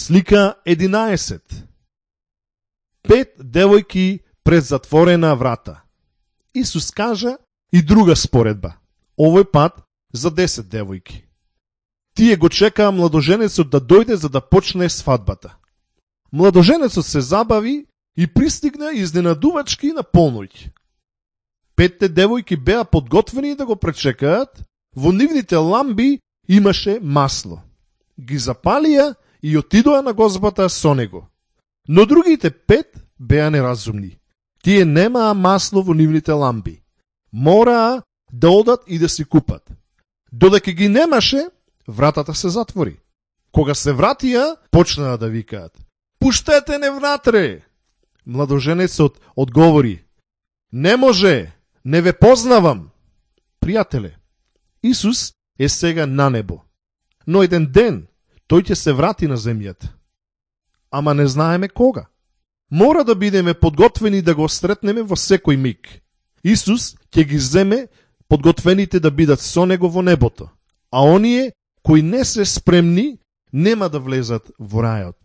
Слика 11. 5 девојки пред затворена врата. Исус кажа и друга споредба. Овој пат за 10 девојки. Тие го чекаа младоженецот да дојде за да почне свадбата. Младоженецот се забави и пристигна изненадувачки на полноќ. 5 девојки беа подготвени да го пречекаат, во нивните ламби имаше масло. Ги запалија и отидоа на гозбата со него. Но другите 5 беа неразумни. Тие немаа масло во нивните ламби. Мораа да одат и да си купат. Додека ги немаше, вратата се затвори. Кога се вратија, почнаа да викаат: "Пуштете не внатре!" Младоженецот одговори: "Не може, не ве познавам." Пријателе, Исус е сега на небо, но еден ден тој ќе се врати на земјата. Ама не знаеме кога. Мора да бидеме подготвени да го сретнеме во секој миг. Исус ќе ги земе подготвените да бидат со него во небото, а оние кои не се спремни нема да влезат во рајот.